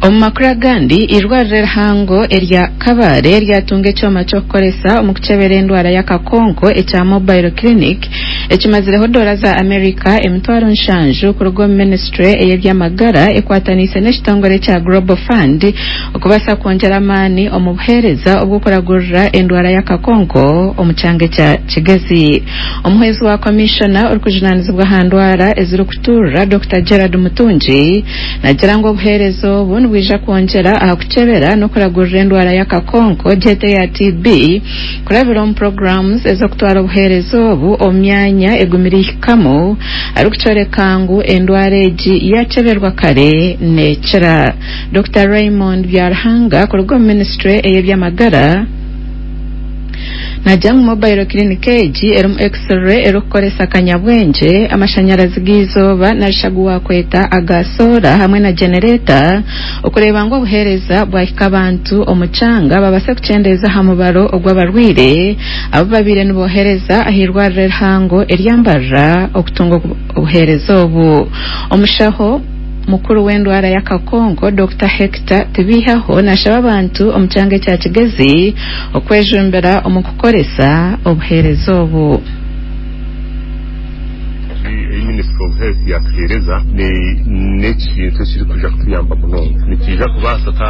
Omu makuru agandi, eirwariro erihango erya Kabale ryatunga ekyoma ky'okukoresa omu kukyebera endwara y'akakonko ekya Mobile Clinic ekimazireho doora za America 70,000 kuruga omu minisiture ey'eby'amagara ekwataniise n'ekitongore ekya Global Fund okubaasa kwongyera amaani omu buheereza obw'okuragurira endwara y'akakonko omu kyanga ekya Kigezi. Omuhwezi wa Komishona orikujunaanizibwa aha ndwara ezirikuturira, Dokita Gerald Mutungi, Nagira ngu obuheereza obu nibwija kwongyera aha kukyebera n'okuragurira endwara y'akakonko gyete eya TB kurabira omu puroguraamu ez'okutwara obuheereza obu omu myanya egumire ihikamu arikukyoreka ngu endwara egi yakyeberwa kare nekira. Dokita Raymond Byaruhanga kuruga omu minisiture ey'eby'amagara, Naagira ngu mobile clinic egi erimu X-ray erikukoresa kanyabwengye, amashanyarazi g'eizooba narishi agu waakweta aga soora hamwe na genereeta okureeba ngu obuheereza bwahika abantu omu kyanga babaase kukyendeeza aha mubaro ogw'abarwaire abu babaire nibohereza ah'eirwariro erihango erya Mbarara okutunga obuheereza obu. Omushaho. Mukuru w'endwara y'akakonko, Dokita Hector Tibihaho nashaba abantu omu kyanga ekya Kigezi okwejumbira omu kukoresa obuheereza obu. Eyi Ministry of Health yatuheereza n'ekintu ekirikwija kutuyamba munonga. Nikiija kubaasa ta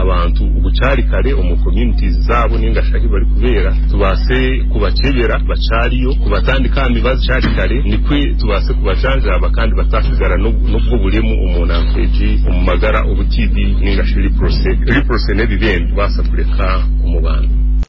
abantu bukyari kare omu communities zaabo ninga shi ahi barikubeera tubaase kubakyebera bakyariyo, kubatandika aha mibazi bukyari kare nikwo tubaase kubajanjaaba kandi bataasigara n'obwo buremu omu nanka egi omu magara obu TB ninga shi leprosy, leprosy n'ebibembe kubaasa kureka omu bantu.